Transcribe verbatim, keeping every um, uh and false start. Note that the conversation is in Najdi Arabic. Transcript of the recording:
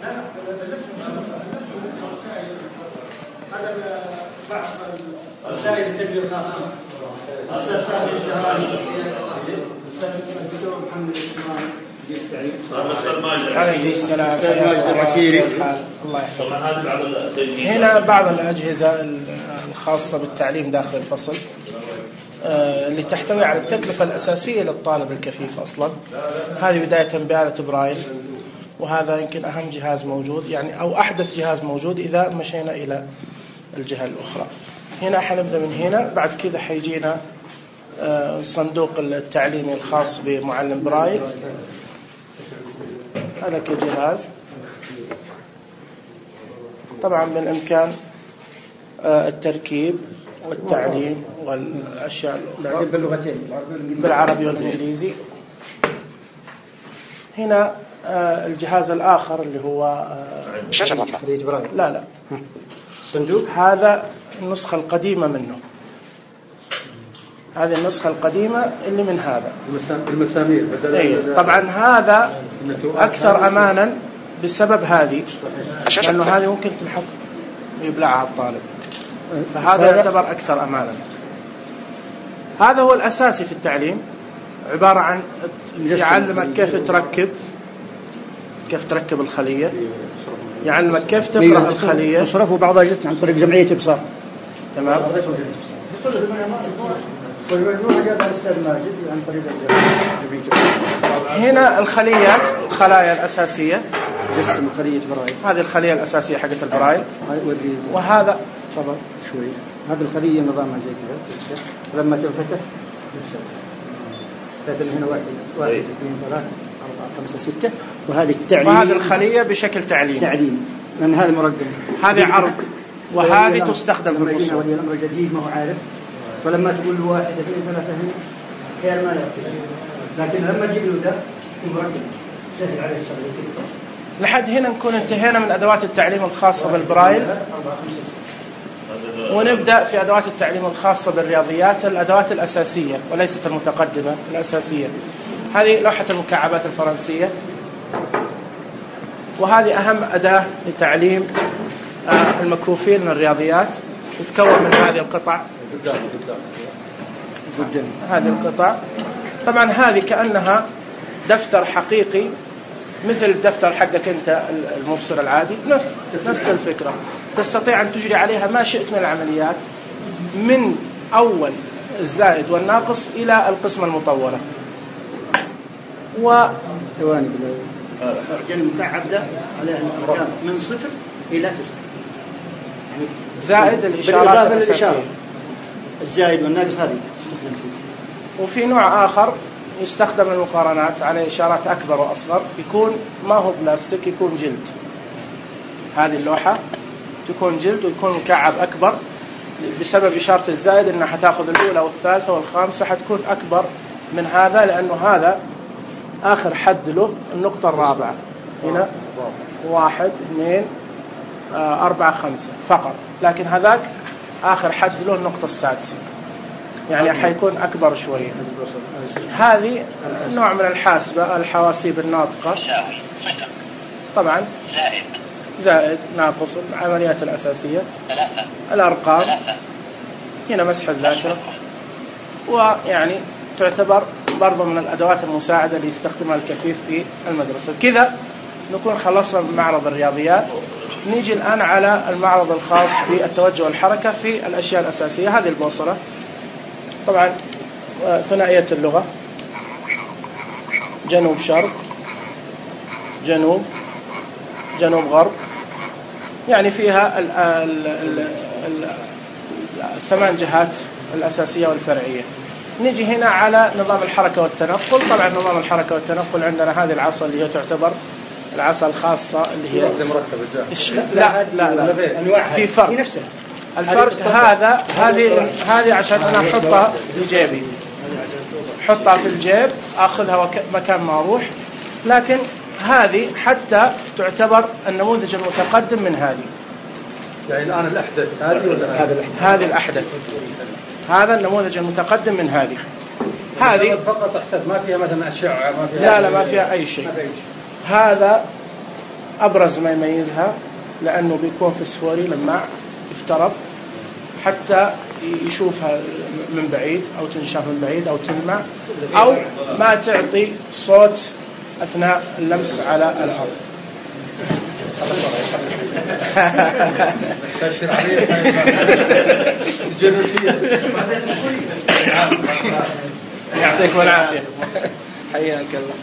هذا بعض وسائل التربية الخاصة. أستاذ سامي الزهراني، أستاذ الدكتور محمد الإسماعيلي. عليه السلام. الله يحفظك. هنا بعض الأجهزة الخاصة بالتعليم داخل الفصل اللي تحتوي على التكلفة الأساسية للطالب الكفيف أصلا. هذه بداية بآلة برايل، وهذا يمكن أهم جهاز موجود يعني أو أحدث جهاز موجود إذا مشينا إلى الجهة الأخرى. هنا حنبدأ من هنا، بعد كذا حيجينا الصندوق التعليمي الخاص بمعلم برايل. هذا كجهاز طبعا بالإمكان التركيب والتعليم والأشياء الأخرى بالعربي والإنجليزي. هنا الجهاز الآخر اللي هو شاشة لا لا صندوق، هذا النسخة القديمة منه. هذه النسخة القديمة اللي من هذا المسامير. أيه. طبعا هذا أكثر أمانا بسبب هذه، لأنه هذه ممكن تنحط يبلعها الطالب، فهذا يعتبر أكثر أمانا. هذا هو الأساسي في التعليم، عبارة عن يعلمك كيف تركب كيف تركب الخلية، يعلمك كيف تقرأ الخلية. مصرف وبعضها جت عن طريق جمعية إبصار. تمام. هنا الخليات، الخلايا الأساسية، جسم خلية برايل. هذه الخلية الأساسية حقت البرايل. وهذا تفضل شوي. هذه الخلية نظامها زي كذا، لما تنفتح يفصل. لكن هنا واحد واحد اثنين ثلاثة أربعة خمسة ستة، وهذه التعليم. وهذه الخلية بشكل تعليم. تعليم. لأن هذا مرقم. هذه عرض، وهذه تستخدم في الفصول. ولي الأمر جديد ما هو عارف، فلما تقول له واحد اثنين ثلاثة هنا خير ما يركز، لكن لما تجيب له ده مرقم سهل عليه الشغل. لحد هنا نكون انتهينا من أدوات التعليم الخاصة بالبرايل، ونبدأ في أدوات التعليم الخاصة بالرياضيات، الأدوات الأساسية وليست المتقدمة، الأساسية. هذه لوحة المكعبات الفرنسية، وهذه أهم أداة لتعليم المكفوفين من الرياضيات، تتكون من هذه القطع. هذه القطع طبعا هذه كأنها دفتر حقيقي مثل الدفتر حقك أنت المبصر العادي، نفس نفس الفكرة. تستطيع أن تجري عليها ما شئت من العمليات، من أول الزائد والناقص إلى القسمة المطولة. و ثواني بالله المكعب ده عليه الأرقام من صفر إلى تسعة، يعني زائد الإشارات الأساسية، الزائد والناقص هذه. وفي نوع آخر يستخدم المقارنات على إشارات أكبر وأصغر، يكون ما هو بلاستيك، يكون جلد. هذه اللوحة تكون جلد ويكون مكعب أكبر، بسبب إشارة الزائد إنها حتاخذ الأولى والثالثة والخامسة حتكون أكبر من هذا، لأنه هذا آخر حد له النقطة الرابعة. هنا واحد اثنين آه أربعة خمسة فقط، لكن هذاك آخر حد له النقطة السادسة، يعني حيكون أكبر شوية. هذه نوع من الحاسبة، الحواسيب الناطقة. طبعا زائد ناقص، العمليات الأساسية، الأرقام. هنا مسح الذاكرة، ويعني تعتبر برضو من الأدوات المساعدة اللي يستخدمها الكفيف في المدرسة. كذا نكون خلصنا من معرض الرياضيات. نيجي الآن على المعرض الخاص بالتوجه والحركة في الأشياء الأساسية. هذه البوصلة طبعا ثنائية اللغة، جنوب شرق، جنوب جنوب غرب، يعني فيها ال ال ال ال الثمان جهات الأساسية والفرعية. نيجي هنا على نظام الحركة والتنقل. طبعا نظام الحركة والتنقل عندنا هذه العصا اللي هي تعتبر العصا الخاصة اللي هي لا لا لا في فرق. الفرق هذا هذه هذه عشان أنا أحطها في جيبي، حطها في الجيب أخذها مكان ما أروح، لكن هذه حتى تعتبر النموذج المتقدم من هذه. يعني الآن الأحدث هذه ولا هذا الأحدث؟ هذه الأحدث، هذا النموذج المتقدم من هذه. هذه فقط إحساس، ما فيها مثلا أشعة، ما فيها لا لا ما فيها أي شيء. هذا أبرز ما يميزها لأنه بيكون فسفوري لماع يفترض حتى يشوفها من بعيد أو تنشاف من بعيد أو تلمع، أو ما تعطي صوت أثناء اللمس على الأرض. يعطيكم العافية، حياك الله.